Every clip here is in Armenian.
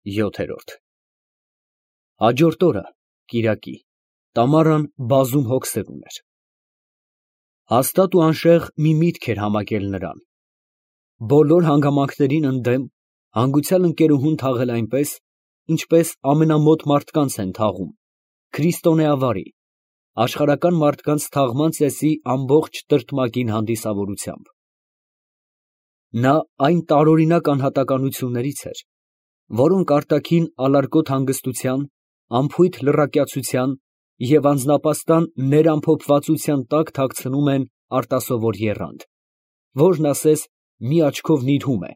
7։ Հաջորդ օրը, կիրակի, Տամարան բազում հոգսեր ուներ։ Հաստատ ու անշեղ մի միտք էր համակել նրան. բոլոր հանգամանքներին ընդդեմ հանգուցյալ ընկերուհուն թաղել այնպես, ինչպես ամենամոտ մարդկանց են թաղում, քրիստոնեավարի, աշխարհական մարդկանց թաղման ծեսի ամբողջ տրտմակին հանդիսավորությամբ։ Նա այն տարօրինակ անհատականություններից էր, որոնք արտաքին ալարկոտ հանգստության, անփույթ լռակյացության և անձնապաստան ներամփոփվածության տակ թաքցնում են արտասովոր եռանդ, որն ասես մի աչքով նիրհում է,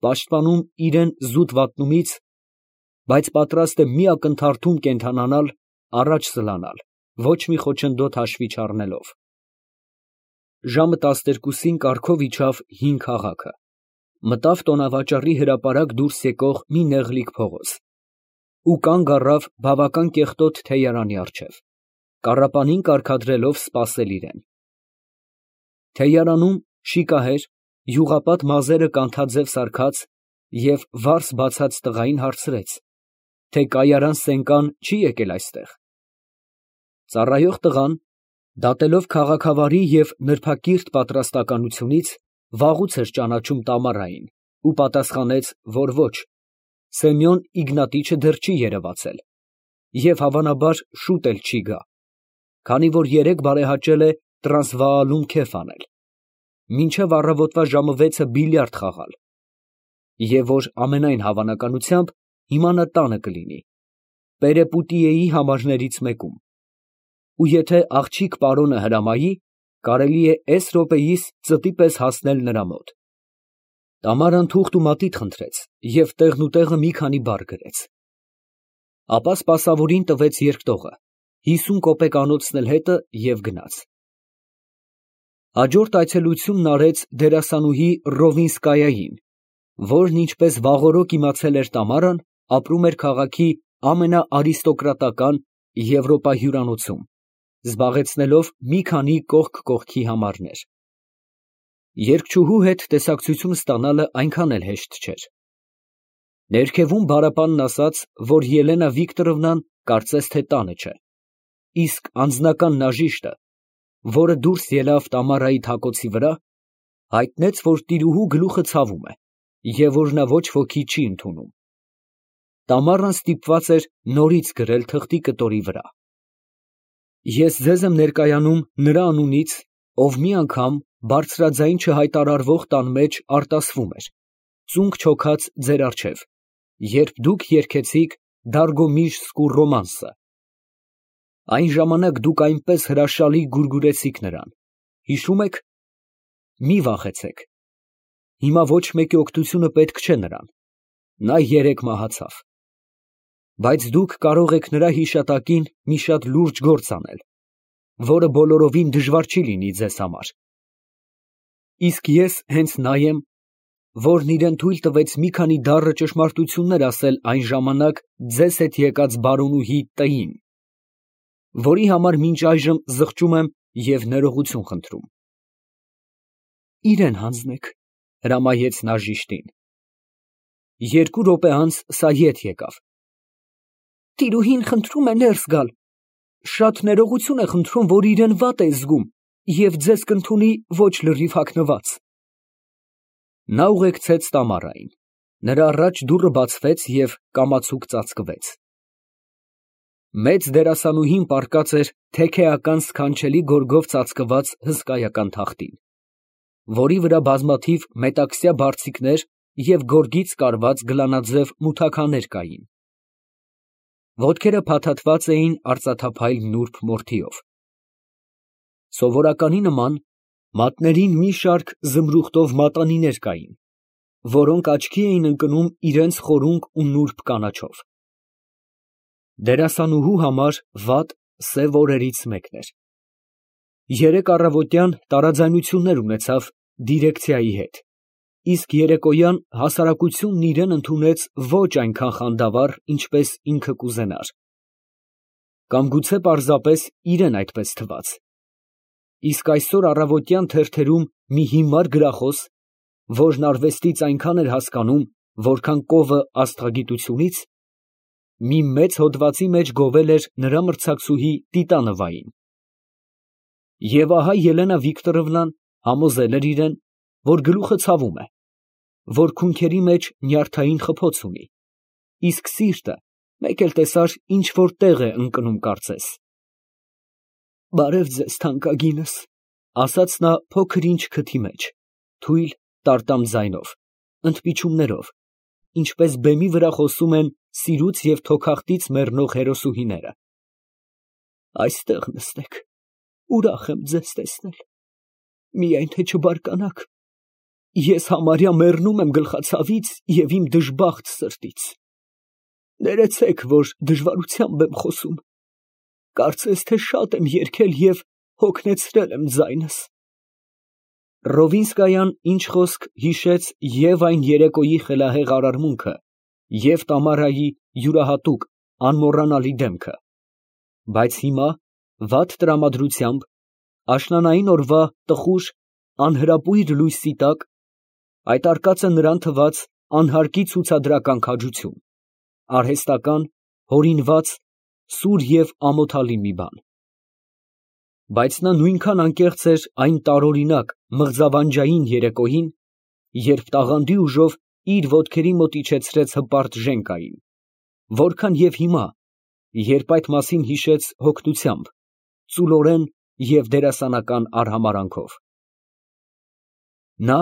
պաշտպանում իրան զուտ վատնումից, բայց պատրաստ է մի ակնթարթում կենդանանալ, առաջ սլանալ, ոչ մի խոչընդոտ հաշվի չառնելով։ Ժամը 12-ին կառքով իջավ հին քաղաքը, մտավ տոնավաճառի հրապարակ դուրս եկող մի նեղլիկ փողոց ու կանգ առավ բավական կեղտոտ թեյարանի առջև, կառապանին կարգադրելով սպասել իրան։ Թեյարանում շիկահեր, յուղապատ մազերը կանթաձև սարքած և վարս բացած տղային հարցրեց, թե կայարան Սենկան չի եկել այստեղ։ Ծառայող տղան, դատելով քաղաքավարի և նրբակիրթ պատրաստականությունից, վաղուց էր ճանաչում Տամարային ու պատասխանեց, որ ոչ, Սեմյոն Իգնատիչը դեռ չի երևացել և հավանաբար շուտ էլ չի գա, քանի որ երեկ բարեհաճել է Տրանսվաալում քեֆ անել, մինչև առավոտվա ժամը 6-ը բիլիարդ խաղալ, և որ ամենայն հավանականությամբ հիմա նա տանը կլինի, Պերեպուտիեի համարներից մեկում, ու եթե աղջիկ պարոնը հրամայի, կարելի է էս րոպեիս ծտի պես հասնել նրա մոտ։ Տամարան թուղթ ու մատիտ խնդրեց և տեղնուտեղը մի քանի բառ գրեց։ Ապա սպասավորին տվեց երկտողը, 50 կոպեկ անոցն էլ հետը և գնաց։ Հաջորդ այցելությունն արեց դերասանուհի Ռովինսկայային, որն, ինչպես վաղօրոք իմացել էր Տամարան, ապրում էր քաղաքի ամենաարիստոկրատական Եվրոպա հյուրանոցում, զբաղեցնելով մի քանի կողք կողքի համարներ։ Երգչուհու հետ տեսակցություն ստանալը այնքան էլ հեշտ չէր։ Ներքևում բարապանն ասաց, որ Ելենա Վիկտորովնան կարծես թե տանը չէ, իսկ անձնական նաժիշտը, որը դուրս ելավ Տամարայի թակոցի վրա, հայտնեց, որ տիրուհու գլուխը ցավում է և որ նա ոչ ոքի չի ընդունում։ Տամարան ստիպված էր նորից գրել թղթի կտորի վրա. Ես ձեզ եմ ներկայանում նրա անունից, ով մի անգամ բարձրաձայն չհայտարարվող տան մեջ արտասվում էր, ծունկ չոքած ձեր առջև, երբ դուք երգեցիք Դարգոմիշ Սկու ռոմանսը։ Այն ժամանակ դուք այնպես հրաշալի գուրգուրեցիք նրան, հիշո՞ւմ եք։ Մի վախեցեք, հիմա ոչ մեկի օգնությունը պետք չէ նրան, նա երեկ մահացավ, բայց դուք կարող եք նրա հիշատակին մի շատ լուրջ գործ անել, որը բոլորովին դժվար չի լինի ձեզ համար։ Իսկ ես հենց նա եմ, որն իրան թույլ տվեց մի քանի դառը ճշմարտություններ ասել այն ժամանակ ձեզ հետ եկած բարոնուհի Տ֊ին, որի համար մինչ այժմ զղջում եմ և ներողություն խնդրում։ Իրան հանձնեք, հրամայեց նա ժիշտին։ 2 րոպե անց սա ետ եկավ։ Տիրուհին խնդրում է ներս գալ, շատ ներողություն է խնդրում, որ իրան վատ է զգում և ձեզ կընդունի ոչ լրիվ հագնված։ Նա ուղեկցեց Տամարային, նրա առաջ դուռը բացվեց և կամացուկ ծածկվեց։ Մեծ դերասանուհին պառկած էր թեքեական սքանչելի գորգով ծածկված հսկայական թախտին, որի վրա բազմաթիվ մետաքսյա բարձիկներ և գորգից կարված գլանաձև մութաքաներ կային։ Ոտքերը փաթաթված էին արծաթափայլ նուրբ մորթիով։ Սովորականի նման մատներին մի շարք զմրուխտով մատանիներ կային, որոնք աչքի էին ընկնում իրենց խորունկ ու նուրբ կանաչով։ Դերասանուհու համար վատ, սև օրերից մեկն էր։ Երեկ առավոտյան տարաձայնություններ ունեցավ դիրեկցիայի հետ, իսկ երեկոյան հասարակությունն իրան ընդունեց ոչ այնքան խանդավառ, ինչպես ինքը կուզենար։ Կամ գուցե պարզապես իրան այդպես թվաց։ Իսկ այսօր առավոտյան թերթերում մի հիմար գրախոս, որն արվեստից այնքան էր հասկանում, որքան կովը աստղագիտությունից, մի մեծ հոդվածի մեջ գովել էր նրա մրցակցուհի Տիտանովային։ Եվ ահա Ելենա Վիկտորովնան համոզել էր իրեն, որ գլուխը ցավում է, որ քունքերի մեջ նյարդային խփոց ունի, իսկ սիրտը մեկ էլ տեսար ինչ որ տեղ է ընկնում կարծես։ «Բարև ձեզ, թանկագինս», ասաց նա փոքր ինչ քթի մեջ, թույլ տարտամ ձայնով, ընդպիչումներով, ինչպես բեմի վրա խոսում են սիրուց և թոքախտից մեռնող հերոսուհիները։ «Այստեղ նստեք, ուրախ եմ ձեզ տեսնել, միայն թե չբարկանաք, ես համարյա մեռնում եմ գլխացավից և իմ դժբախտ սրտից։ Ներեցեք, որ դժվարությամբ եմ խոսում, կարծես թե շատ եմ երգել և հոգնեցրել եմ ձայնս»։ Ռովինսկայան ինչ խոսք հիշեց և այն երեկոյի խելահեղ արարմունքը, և Տամարայի յուրահատուկ անմոռանալի դեմքը, բայց հիմա, վատ տրամադրությամբ, աշնանային օրվա տխուր, անհրապույր լույսի տակ, այդ արկածը նրան թվաց անհարկի ցուցադրական քաջություն, արհեստական, հորինված, սուր և ամոթալի մի բան։ Բայց նա նույնքան անկեղծ էր այն տարօրինակ մղձավանջային երեկոյին, երբ տաղանդի ուժով իր ոտքերի մոտ իջեցրեց հպարտ Ժենկային, որքան և հիմա, երբ այդ մասին հիշեց հոգնությամբ, ծուլորեն և դերասանական արհամարհանքով։ Նա,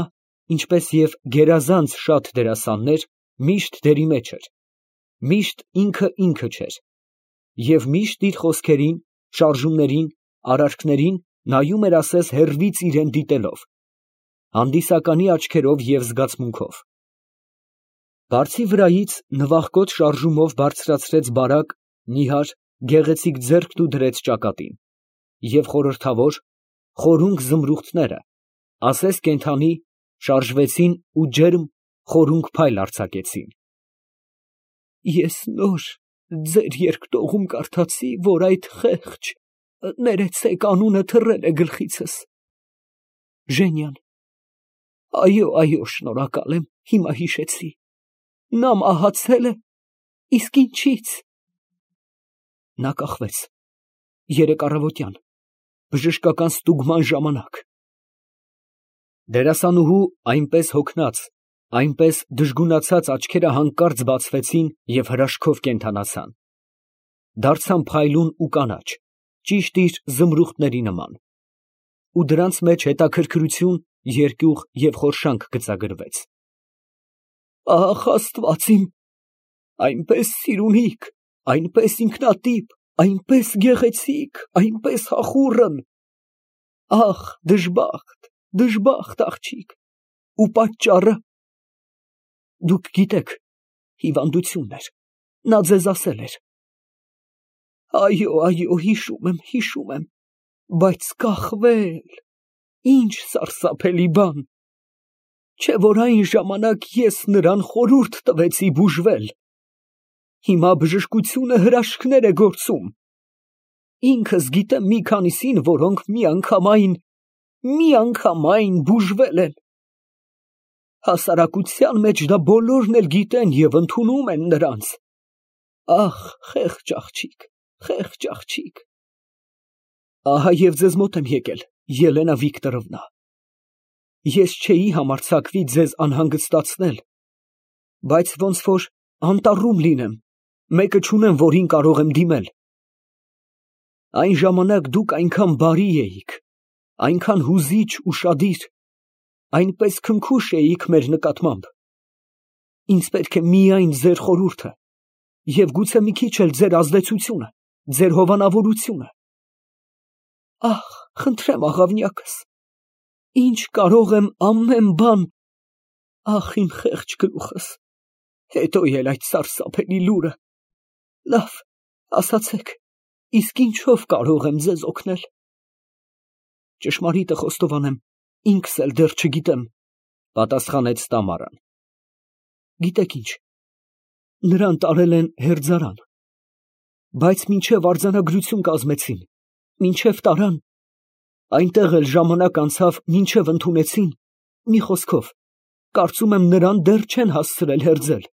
ինչպես և գերազանց շատ դերասաններ, միշտ դերի մեջ էր, միշտ ինքը չէր, և միշտ իր խոսքերին, շարժումներին, արարքներին նայում էր ասես հեռվից իրան դիտելով, հանդիսականի աչքերով և զգացմունքով։ Բարձի վրայից նվախկոտ շարժումով բարձրացրեց բարակ, նիհար, գեղեցիկ ձեռքն ու դրեց ճակատին, և խորհրդավոր, խորունկ զմրուխտները, ասես կենդանի, շարժվեցին ու ջերմ, խորունկ փայլ արձակեցին։ Ես նոր ձեր երկտողում կարդացի, որ այդ խեղճ, ներեցեք, անունը թռել է գլխիցս, Ժենյան։ Այո, շնորհակալ եմ, հիմա հիշեցի, նա մահացել է, իսկ ինչի՞ց։ Նա կախվեց, երեկ առավոտյան, բժշկական ստուգման ժամանակ։ Դերասանուհու այնպես հոգնած, այնպես դժգունացած աչքերը հանկարծ բացվեցին և հրաշքով կենդանացան, դարձան փայլուն ու կանաչ, ճիշտ իր զմրուխտների նման, ու դրանց մեջ հետաքրքրություն, երկյուղ և խորշանք գծագրվեց։ Ահ, Աստված իմ, այնպես սիրունիկ, այնպես ինքնատիպ, այնպես գեղեցիկ, այնպես հախուռն, ահ, դժբախտ աղջիկ, ու պատճառը։ Դուք գիտեք, հիվանդությունն էր, նա ձեզ ասել էր։ Այո, հիշում եմ, բայց կախվել, ինչ սարսափելի բան, չէ՞ որ այն ժամանակ ես նրան խորհուրդ տվեցի բուժվել, հիմա բժշկությունը հրաշքներ է գործում, ինքս գիտեմ մի քանիսին, որոնք միանգամայն բուժվել են, հասարակության մեջ դա բոլորն էլ գիտեն և ընդունում են նրանց, ահ, խեղճ աղջիկ։ Ահա և ձեզ մոտ եմ եկել, Ելենա Վիկտորովնա, ես չէի համարձակվի ձեզ անհանգստացնել, բայց ոնց որ անտառում լինեմ, մեկը չունեմ, որին կարող եմ դիմել։ Այն ժամանակ դուք այնքան բարի էիք, այնքան հուզիչ ու շադիր, այնպես քնքուշ էիք մեր նկատմամբ, ինձ պետք է միայն ձեր խորհուրդը և գուցե մի քիչ էլ ձեր ազդեցությունը, ձեր հովանավորությունը։ Ահ, խնդրեմ աղավնյակս, ինչ կարող եմ ամեն բան, ահ, իմ խեղճ գլուխս, հետո էլ այդ սարսափելի լուրը, լավ, ասացեք, իսկ ինչով կարող եմ ձեզ օգնել։ Ճշմարիտը խոստովանեմ, ինքս էլ դեռ չգիտեմ, պատասխանեց Տամարան։ Գիտեք ինչ, նրան տարել են հերձարան, բայց մինչև արձանագրություն կազմեցին, մինչև տարան, այնտեղ էլ ժամանակ անցավ, մինչև ընդունեցին, մի խոսքով, Կարծում եմ նրան դեռ չեն հասցրել հերձել։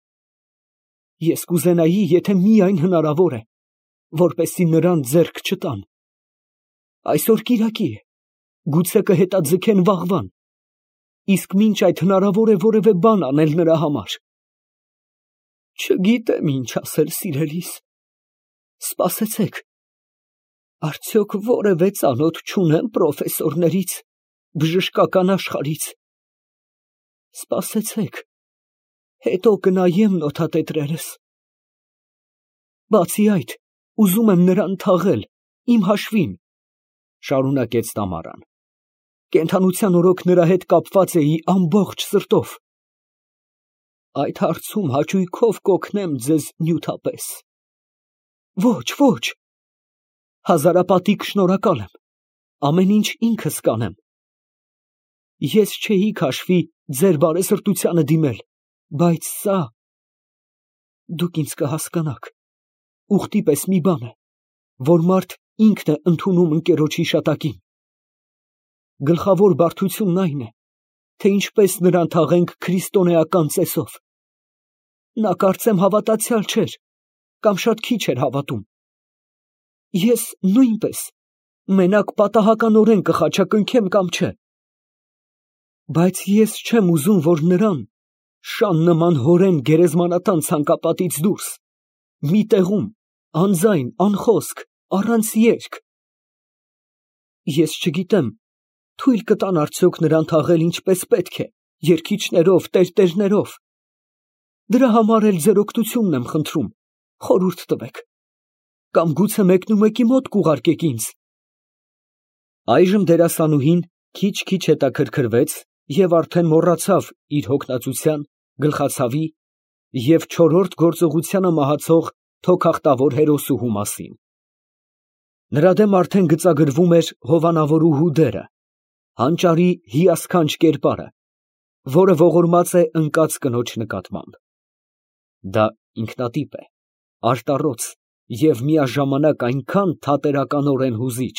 Ես կուզենայի, եթե միայն հնարավոր է, որպեսզի նրան ձեռք չտան։ Այսօր կիրակի է, գուցե կհետաձգեն վաղվան, իսկ մինչ այդ հնարավոր է որևէ բան անել նրա համար։ Չգիտեմ ինչ ասել, սիրելիս, սպասեցեք, արդյոք որևէ ծանոթ չունեմ պրոֆեսորներից, բժշկական աշխարհից։ Սպասեցեք, հետո կնայեմ նոթատետրերս։ Բացի այդ, ուզում եմ նրան թաղել, իմ հաշվին, շարունակեց Տամարան։ Կենդանության օրոք նրա հետ կապված էի ամբողջ սրտով։ Այդ հարցում հաճույքով կօգնեմ ձեզ նյութապես։ Ոչ, ոչ, հազարապատիկ շնորհակալ եմ, ամեն ինչ ինքս կանեմ։ Ես չէի քաշվի ձեր բարեսրտությանը դիմել, բայց սա… Դուք ինձ կհասկանաք, ուխտի պես մի բան է, որ մարդ ինքն է ընդունում ընկերոջ հիշատակին։ Գլխավոր բարդությունն այն է, թե ինչպես նրան թաղենք քրիստոնեական ծեսով։ Նա կարծեմ հավատացյալ չէր, կամ շատ քիչ էր հավատում։ Ես նույնպես մենակ պատահականորեն կխաչակնքեմ կամ չէ։ Բայց ես չեմ ուզում, որ նրան շան նման հորեն գերեզմանատան ցանկապատից դուրս, մի տեղում, անձայն, անխոսք, առանց երգ։ Ես չգիտեմ, թույլ կտան արդյոք նրան թաղել ինչպես պետք է, երգիչներով, տերտերներով։ Դրա համար էլ ձեր օգնությունն եմ խնդրում, խորհուրդ տվեք։ Կամ գուցե մեկնումեկի մոտ կուղարկեք ինձ։ Այժմ դերասանուհին քիչ-քիչ հետաքրքրվեց և արդեն մոռացավ իր հոգնածության, գլխացավի և չորրորդ գործողությանը մահացող թոքախտավոր հերոսուհու մասին։ Նրա դեմ արդեն գծագրվում էր հովանավորուհու դերը, հանճարի հիասքանչ կերպարը, որը ողորմած է ընկած կնոջ նկատմամբ։ Դա ինքնատիպ է, արտառոց և միաժամանակ այնքան թատերականորեն հուզիչ,